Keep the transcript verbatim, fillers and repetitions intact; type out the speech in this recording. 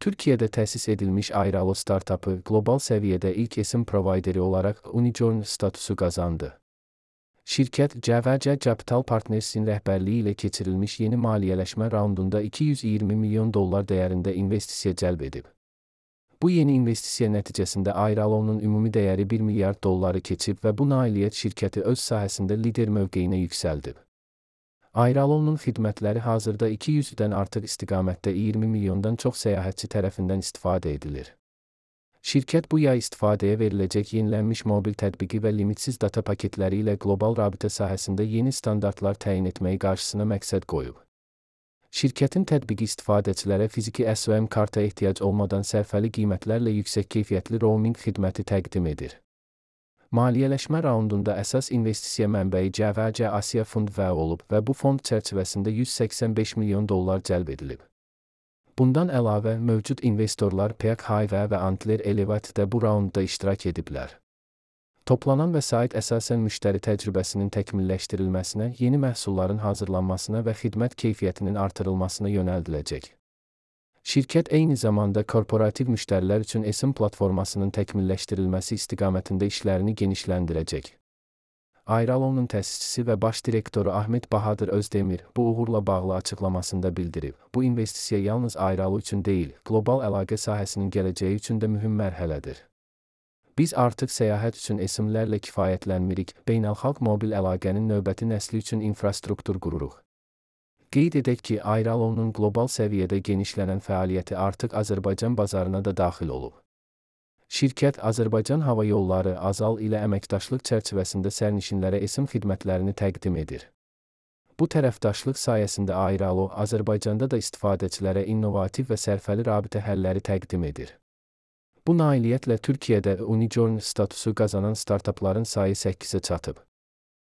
Türkiye'də təsis edilmiş Airalo startapı qlobal səviyyədə ilk esim provayderi olaraq Unicorn statusu qazandı. Şirkət C V C Capital Partners'in rəhbərliyi ilə keçirilmiş yeni maliyyələşmə raundunda iki yüz iyirmi milyon dollar dəyərində investisiya cəlb edib. Bu yeni investisiya nəticəsində Airalo'nun ümumi dəyəri bir milyard dolları keçib və bu nailiyyət şirkəti öz sahəsində lider mövqeyinə yüksəldib. Airalo'nun xidmətləri hazırda iki yüzdən artıq istiqamətdə iyirmi milyondan çox səyahətçi tərəfindən istifadə edilir. Şirkət bu yay istifadəyə veriləcək yenilənmiş mobil tətbiqi və limitsiz data paketləri ilə qlobal rabitə sahəsində yeni standartlar təyin etməyi qarşısına məqsəd qoyub. Şirkətin tətbiqi istifadəçilərə fiziki S O M karta ehtiyac olmadan sərfəli qiymətlərlə yüksək keyfiyyətli roaming xidməti təqdim edir. Maliyyələşmə raundunda əsas investisiya mənbəyi C V C Asiya Fund V olub və bu fond çərçivəsində yüz səksən beş milyon dollar cəlb edilib. Bundan əlavə, mövcud investorlar P K H və Antler Elevate də bu raundda iştirak ediblər. Toplanan vəsait əsasən müştəri təcrübəsinin təkmilləşdirilməsinə, yeni məhsulların hazırlanmasına və xidmət keyfiyyətinin artırılmasına yönəldiləcək. Şirkət eyni zamanda korporativ müştərilər üçün esim platformasının təkmilləşdirilməsi istiqamətində işlərini genişləndirəcək. Airalo'nun təsisçisi və baş direktoru Ahmet Bahadır Özdemir bu uğurla bağlı açıqlamasında bildirib, bu investisiya yalnız Airalo üçün deyil, qlobal əlaqə sahəsinin gələcəyi üçün də mühüm mərhələdir. Biz artıq səyahət üçün esimlərlə kifayətlənmirik, beynəlxalq mobil əlaqənin növbəti nəsli üçün infrastruktur qururuq. Qeyd edək ki, Airalo'nun qlobal səviyyədə genişlənən fəaliyyəti artıq Azərbaycan bazarına da daxil olub. Şirkət Azərbaycan Hava Yolları Azal ilə əməkdaşlıq çərçivəsində sərnişinlərə esim xidmətlərini təqdim edir. Bu tərəfdaşlıq sayəsində Airalo Azərbaycanda da istifadəçilərə innovativ və sərfəli rabitə həlləri təqdim edir. Bu nailiyyətlə Türkiyədə Unicorn statusu qazanan startapların sayı səkkizə çatıb.